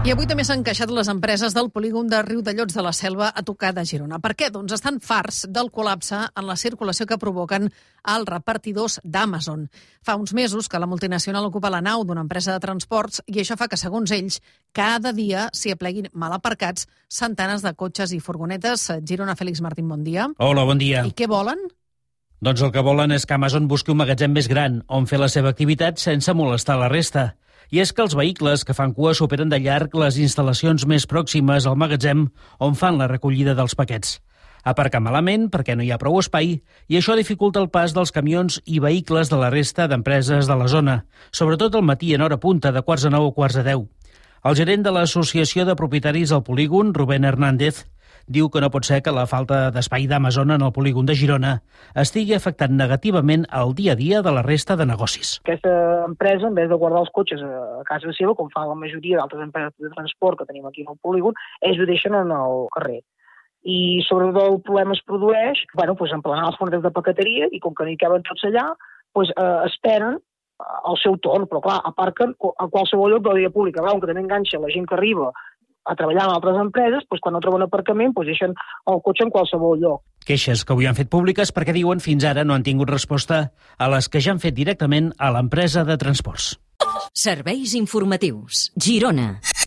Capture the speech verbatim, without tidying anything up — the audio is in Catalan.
I avui també s'han queixat les empreses del polígon de Riudellots de la Selva a tocar de Girona. Per què? Doncs estan farts del col·lapse en la circulació que provoquen els repartidors d'Amazon. Fa uns mesos que la multinacional ocupa la nau d'una empresa de transports i això fa que, segons ells, cada dia s'hi apleguin mal aparcats centenes de cotxes i furgonetes. Girona, Félix Martín, bon dia. Hola, bon dia. I què volen? Doncs el que volen és que Amazon busqui un magatzem més gran on fer la seva activitat sense molestar la resta. I és que els vehicles que fan cua superen de llarg les instal·lacions més pròximes al magatzem on fan la recollida dels paquets. Aparcar malament perquè no hi ha prou espai i això dificulta el pas dels camions i vehicles de la resta d'empreses de la zona, sobretot al matí en hora punta de quarts de nou o quarts de deu. El gerent de l'Associació de Propietaris al Polígon, Rubén Hernández, diu que no pot ser que la falta d'espai d'Amazon en el polígon de Girona estigui afectant negativament el dia a dia de la resta de negocis. Aquesta empresa, en vez de guardar els cotxes a casa seva, com fan la majoria d'altres empreses de transport que tenim aquí al polígon, ells ho deixen en el carrer. I sobretot el problema es produeix, bueno, pues, emplenar les fronteres de paqueteria i com que no hi caben tots allà, pues, eh, esperen el seu torn, però clar, aparquen a qualsevol lloc de la via pública, veuen que també enganxa la gent que arriba a treballar en altres empreses, doncs quan no troben aparcament doncs deixen el cotxe en qualsevol lloc. Queixes que avui han fet públiques perquè diuen fins ara no han tingut resposta a les que ja han fet directament a l'empresa de transports. Serveis informatius. Girona.